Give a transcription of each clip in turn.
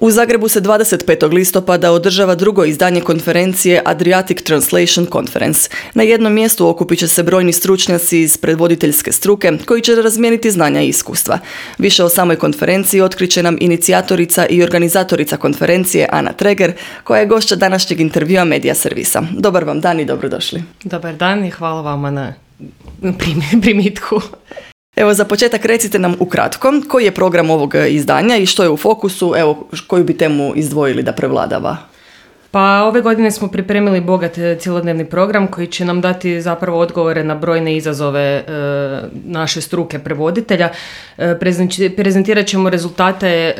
U Zagrebu se 25. listopada održava drugo izdanje konferencije Adriatic Translation Conference. Na jednom mjestu okupit će se brojni stručnjaci iz prevoditeljske struke koji će razmijeniti znanja i iskustva. Više o samoj konferenciji otkriće nam inicijatorica i organizatorica konferencije Ana Treger, koja je gošća današnjeg intervjua Medija servisa. Dobar vam dan i dobrodošli. Dobar dan i hvala vama na primitku. Evo, za početak recite nam ukratko koji je program ovog izdanja i što je u fokusu, evo, koju bi temu izdvojili da prevladava? Pa ove godine smo pripremili bogat cjelodnevni program koji će nam dati zapravo odgovore na brojne izazove naše struke prevoditelja. Prezentirat ćemo rezultate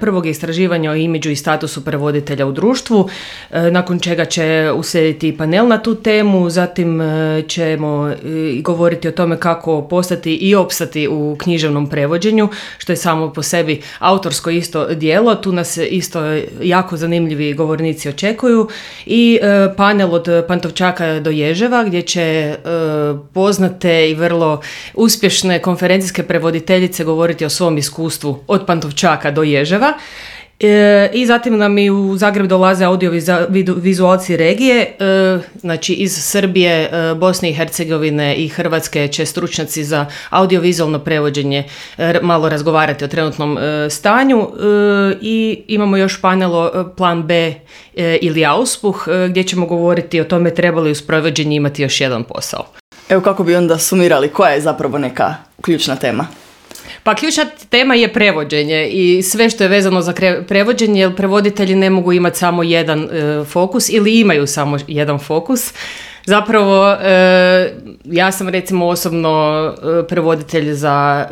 prvog istraživanja o imidžu i statusu prevoditelja u društvu, nakon čega će uslijediti panel na tu temu, zatim ćemo govoriti o tome kako postati i opstati u književnom prevođenju, što je samo po sebi autorsko isto djelo. Tu nas isto jako zanimljivi govornici očekuju i panel od Pantovčaka do Ježeva gdje će poznate i vrlo uspješne konferencijske prevoditeljice govoriti o svom iskustvu od Pantovčaka do Ježeva. I zatim nam i u Zagreb dolaze audiovizualci regije, znači iz Srbije, Bosne i Hercegovine i Hrvatske će stručnjaci za audiovizualno prevođenje malo razgovarati o trenutnom stanju i imamo još panel Plan B ili Auspuh gdje ćemo govoriti o tome treba li uz prevođenje imati još jedan posao. Evo, kako bi onda sumirali, koja je zapravo neka ključna tema? Pa ključna tema je prevođenje i sve što je vezano za prevođenje, jer prevoditelji ne mogu imati samo jedan fokus ili imaju samo jedan fokus. Zapravo, ja sam recimo osobno prevoditelj za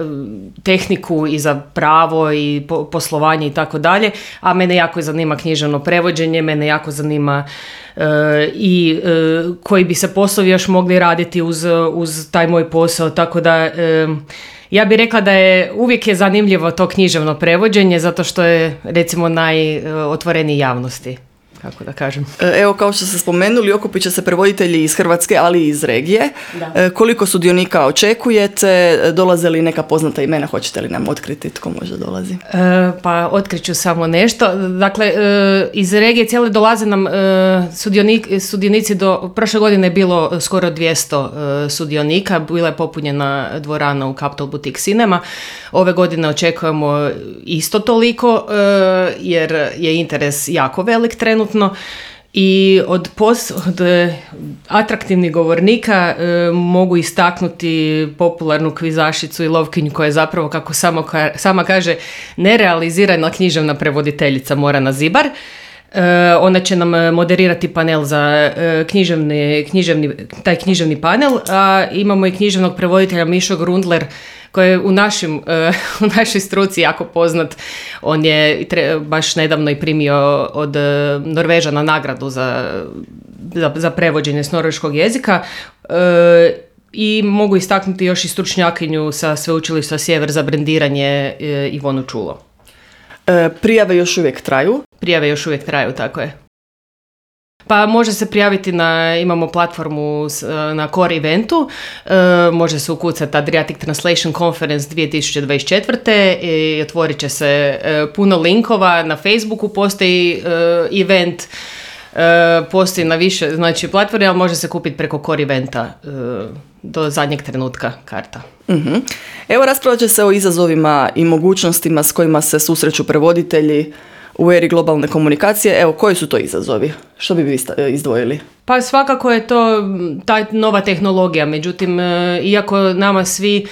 tehniku i za pravo i poslovanje i tako dalje, a mene jako zanima književno prevođenje, mene jako zanima i koji bi se poslovi još mogli raditi uz taj moj posao, tako da ja bih rekla da uvijek je zanimljivo to književno prevođenje zato što je recimo najotvoreniji javnosti, kako da kažem. Evo, kao što ste spomenuli, okupit će se prevoditelji iz Hrvatske, ali i iz regije. Da. Koliko sudionika očekujete? Dolaze li neka poznata imena? Hoćete li nam otkriti tko možda dolazi? Pa otkriću samo nešto. Dakle, iz regije cijele dolaze nam sudionici prošle godine je bilo skoro 200 sudionika. Bila je popunjena dvorana u Capital Boutique Cinema. Ove godine očekujemo isto toliko jer je interes jako velik trenutno. I od atraktivnih govornika mogu istaknuti popularnu kvizašicu i lovkinju koja je zapravo, kako sama kaže, nerealizirana književna prevoditeljica Morana Zibar. Ona će nam moderirati panel za taj književni panel, a imamo i književnog prevoditelja Mišo Grundler koji je u našoj struci jako poznat. On je baš nedavno i primio od Norvežana nagradu za prevođenje s norveškog jezika. I mogu istaknuti još i stručnjakinju sa Sveučilišta Sjever za brendiranje Ivonu Čulo. Prijave još uvijek traju? Prijave još uvijek traju, tako je. Pa može se prijaviti imamo platformu na Core Eventu, može se ukucati Adriatic Translation Conference 2024. I otvorit će se puno linkova, na Facebooku postoji event, postoji na više platforme, ali može se kupiti preko Core Eventa do zadnjeg trenutka karta. Uh-huh. Evo, raspravljat će se o izazovima i mogućnostima s kojima se susreću prevoditelji u eri globalne komunikacije. Evo, koji su to izazovi? Što bi vi izdvojili? Pa svakako je to ta nova tehnologija, međutim, iako nama svi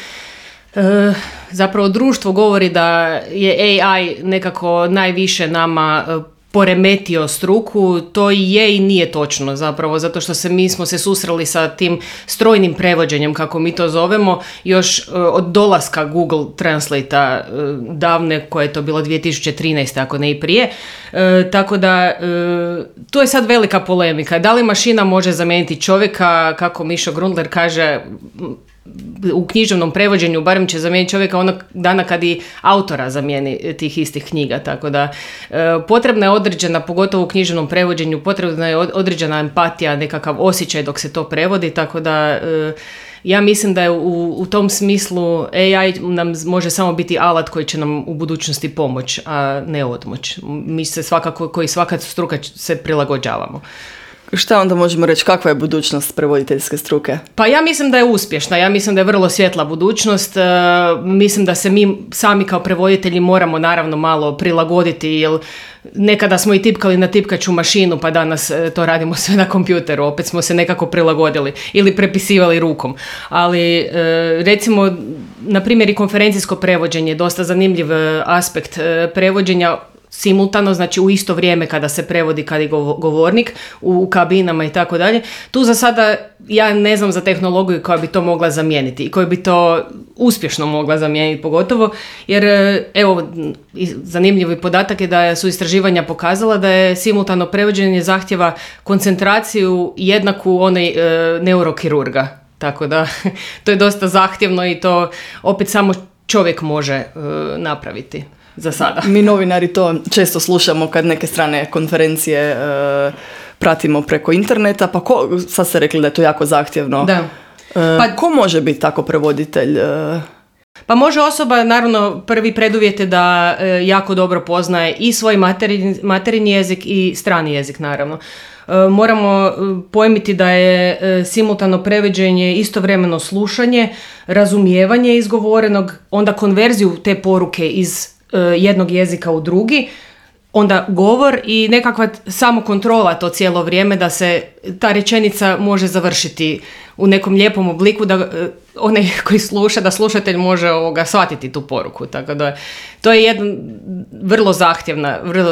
zapravo društvo govori da je AI nekako najviše nama poremetio struku, to i je i nije točno zapravo, zato što mi smo se susreli sa tim strojnim prevođenjem, kako mi to zovemo, još od dolaska Google Translate-a davne, koje je to bilo 2013. ako ne i prije. Tako da, to je sad velika polemika. Da li mašina može zamijeniti čovjeka, kako Mišo Grundler kaže, u književnom prevođenju, barem će zamijeniti čovjeka onog dana kad i autora zamijeni tih istih knjiga, tako da potrebna je određena, pogotovo u književnom prevođenju, potrebna je određena empatija, nekakav osjećaj dok se to prevodi, tako da Ja mislim da je u tom smislu AI nam može samo biti alat koji će nam u budućnosti pomoć, a ne odmoć. Mi se svakako, koji svaka struka se prilagođavamo. Šta onda možemo reći, kakva je budućnost prevoditeljske struke? Pa ja mislim da je uspješna, ja mislim da je vrlo svjetla budućnost, mislim da se mi sami kao prevoditelji moramo naravno malo prilagoditi, jer nekada smo i tipkali na tipkaću mašinu, pa danas to radimo sve na kompjuteru, opet smo se nekako prilagodili ili prepisivali rukom. Ali recimo, na primjer i konferencijsko prevođenje, dosta zanimljiv aspekt prevođenja, simultano, znači u isto vrijeme kada se prevodi, kad je govornik, u kabinama i tako dalje. Tu za sada ja ne znam za tehnologiju koja bi to mogla zamijeniti i koja bi to uspješno mogla zamijeniti pogotovo, jer evo, zanimljivi podatak je da su istraživanja pokazala da je simultano prevođenje zahtjeva koncentraciju jednaku onoj neurokirurga. Tako da to je dosta zahtjevno i to opet samo čovjek može napraviti. Za sada. Mi novinari to često slušamo kad neke strane konferencije pratimo preko interneta, pa sad ste rekli da je to jako zahtjevno. Da. Pa ko može biti tako prevoditelj? Pa može osoba, naravno, prvi preduvjet je da jako dobro poznaje i svoj materinji jezik i strani jezik, naravno. Moramo pojmiti da je simultano prevođenje istovremeno slušanje, razumijevanje izgovorenog, onda konverziju te poruke iz jednog jezika u drugi, onda govor i nekakva samokontrola to cijelo vrijeme da se ta rečenica može završiti u nekom lijepom obliku, da onaj koji sluša, da slušatelj može shvatiti tu poruku. Tako da to je jedna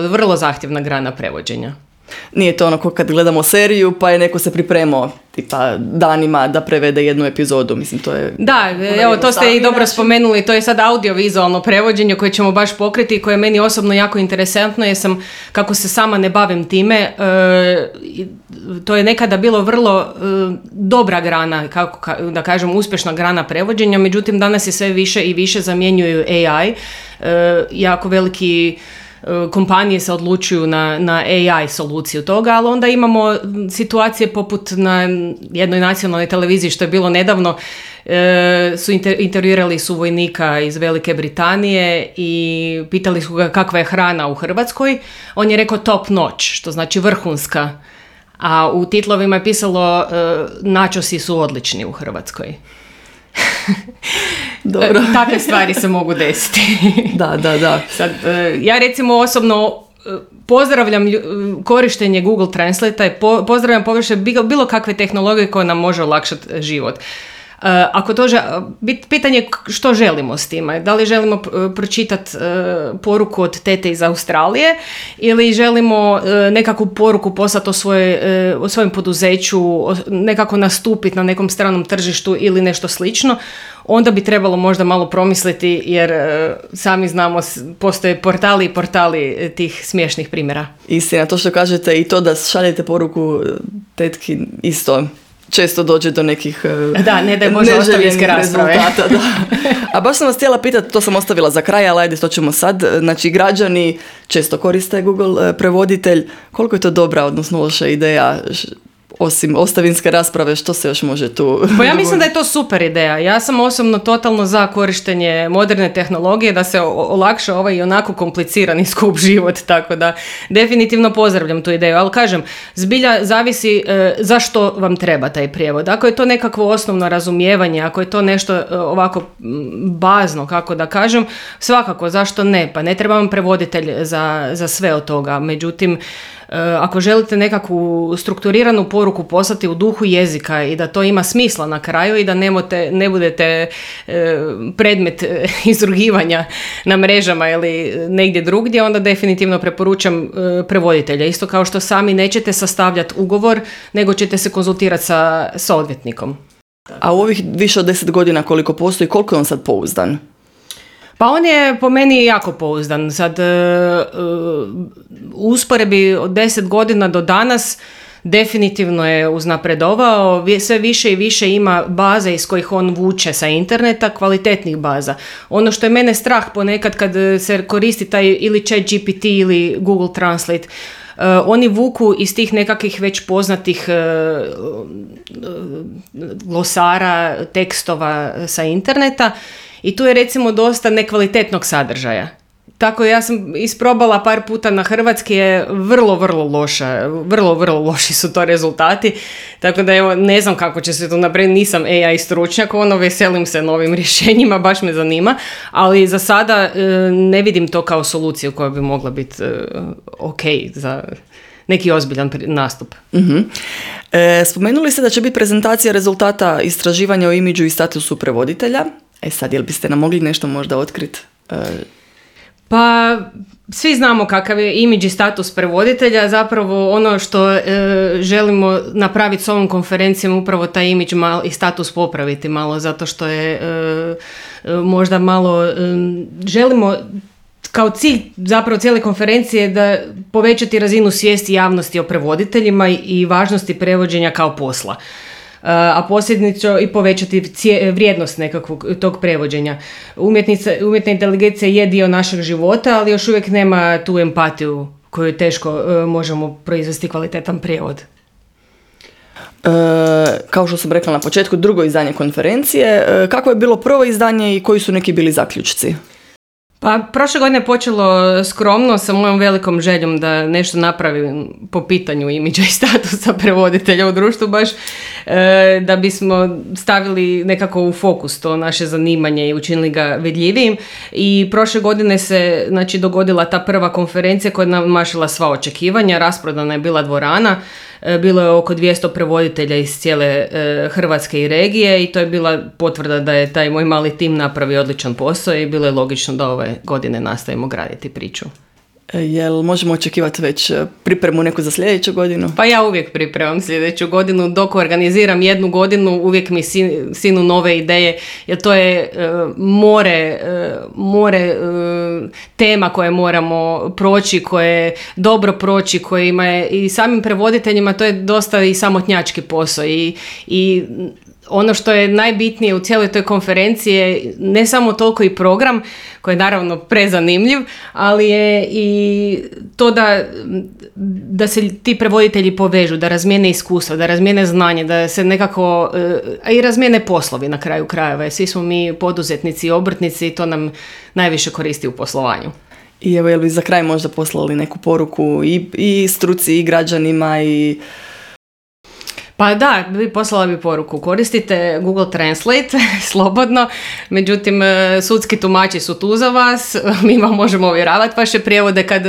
vrlo zahtjevna grana prevođenja. Nije to onako kad gledamo seriju pa je neko se pripremao tipa danima da prevede jednu epizodu, mislim to je... Da, evo to ste i dobro spomenuli, to je sad audiovizualno prevođenje koje ćemo baš pokriti i koje je meni osobno jako interesantno jer sam, kako se sama ne bavim time, to je nekada bilo vrlo dobra grana, kako da kažem uspješna grana prevođenja, međutim danas je sve više i više zamjenjuju AI, jako veliki kompanije se odlučuju na AI soluciju toga, ali onda imamo situacije poput na jednoj nacionalnoj televiziji što je bilo nedavno, su intervjuirali su vojnika iz Velike Britanije i pitali su ga kakva je hrana u Hrvatskoj. On je rekao top notch, što znači vrhunska, a u titlovima je pisalo načosi su odlični u Hrvatskoj. Dobro. Takve stvari se mogu desiti. Da. Sad, ja recimo osobno pozdravljam korištenje Google Translate-a i pozdravljam površe bilo kakve tehnologije koje nam može olakšati život. Ako to pitanje što želimo s time, da li želimo pročitati poruku od tete iz Australije ili želimo nekakvu poruku poslati o svojem poduzeću, nekako nastupiti na nekom stranom tržištu ili nešto slično, onda bi trebalo možda malo promisliti jer sami znamo postoje portali i portali tih smiješnih primjera. Istina, to što kažete i to da šaljete poruku tetki isto često dođe do nekih ostavinske rasprave. Da. A baš sam vas htjela pitati, to sam ostavila za kraj, ali ajde, to ćemo sad. Znači, građani često koriste Google prevoditelj. Koliko je to dobra, odnosno loša ideja, osim ostavinske rasprave, što se još može tu... Pa ja mislim da je to super ideja. Ja sam osobno totalno za korištenje moderne tehnologije da se olakša ovaj i onako komplicirani skup život, tako da definitivno pozdravljam tu ideju. Ali kažem, zbilja zavisi zašto vam treba taj prijevod. Ako je to nekakvo osnovno razumijevanje, ako je to nešto ovako bazno, kako da kažem, svakako, zašto ne? Pa ne treba vam prevoditelj za sve od toga. Međutim, ako želite nekakvu strukturiranu poruku poslati u duhu jezika i da to ima smisla na kraju i da ne budete predmet izrugivanja na mrežama ili negdje drugdje, onda definitivno preporučam prevoditelja. Isto kao što sami nećete sastavljati ugovor, nego ćete se konzultirati sa odvjetnikom. A u ovih više od 10 godina koliko postoji, koliko je on sad pouzdan? Pa on je po meni jako pouzdan. Sad, u usporedbi od 10 godina do danas definitivno je uznapredovao, sve više i više ima baze iz kojih on vuče sa interneta, kvalitetnih baza. Ono što je mene strah ponekad kad se koristi taj ili ChatGPT ili Google Translate, Oni vuku iz tih nekakvih već poznatih glosara, tekstova sa interneta i tu je recimo dosta nekvalitetnog sadržaja. Tako ja sam isprobala par puta na hrvatski, je vrlo loša, vrlo loši su to rezultati, tako da evo ne znam kako će se to napraviti, nisam AI stručnjak, veselim se novim rješenjima, baš me zanima, ali za sada ne vidim to kao soluciju koja bi mogla biti ok za neki ozbiljan nastup. Uh-huh. Spomenuli ste da će biti prezentacija rezultata istraživanja o imidžu i statusu prevoditelja. Sad, jel biste nam mogli nešto možda otkriti? Pa, svi znamo kakav je imidž i status prevoditelja, zapravo ono što želimo napraviti s ovom konferencijom, upravo taj imidž i status popraviti malo, zato što je možda malo, želimo kao cilj zapravo cijele konferencije da povećati razinu svijesti javnosti o prevoditeljima i važnosti prevođenja kao posla. A posljednično i povećati vrijednost nekakvog tog prevođenja. Umjetna inteligencija je dio našeg života, ali još uvijek nema tu empatiju koju teško možemo proizvesti kvalitetan prijevod. Kao što sam rekla na početku, drugo izdanje konferencije. Kako je bilo prvo izdanje i koji su neki bili zaključci? Pa prošle godine je počelo skromno sa mojom velikom željom da nešto napravim po pitanju imidža i statusa prevoditelja u društvu, baš da bismo stavili nekako u fokus to naše zanimanje i učinili ga vidljivijim. I prošle godine se dogodila ta prva konferencija koja je namašila sva očekivanja, rasprodana je bila dvorana. Bilo je oko 200 prevoditelja iz cijele Hrvatske i regije i to je bila potvrda da je taj moj mali tim napravio odličan posao i bilo je logično da ove godine nastavimo graditi priču. Jel možemo očekivati već pripremu neku za sljedeću godinu? Pa ja uvijek pripremam sljedeću godinu. Dok organiziram jednu godinu, uvijek mi sinu nove ideje, jer to je more tema koje moramo proći, koje dobro proći, koje ima i samim prevoditeljima to je dosta i samotnjački posao i ono što je najbitnije u cijeloj toj konferenciji je ne samo toliko i program, koji je naravno prezanimljiv, ali je i to da se ti prevoditelji povežu, da razmijene iskustva, da razmijene znanje, da se nekako, a i razmijene poslovi na kraju krajeva. Svi smo mi poduzetnici i obrtnici i to nam najviše koristi u poslovanju. I evo, jel bi za kraj možda poslali neku poruku i struci i građanima i... Pa da, poslala bi poruku. Koristite Google Translate slobodno, međutim sudski tumači su tu za vas, mi vam možemo ovjeravati vaše prijevode kad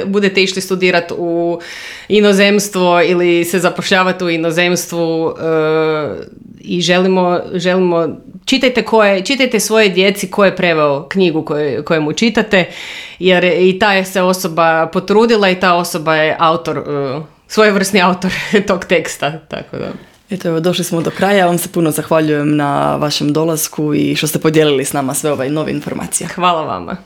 budete išli studirati u inozemstvo ili se zapošljavati u inozemstvu i želimo čitajte svoje djeci ko je preveo knjigu kojemu čitate, jer i ta se osoba potrudila i ta osoba je autor, svojevrsni autor tog teksta, tako da. Eto, evo, došli smo do kraja. Vam se puno zahvaljujem na vašem dolasku i što ste podijelili s nama sve ove nove informacije. Hvala vama.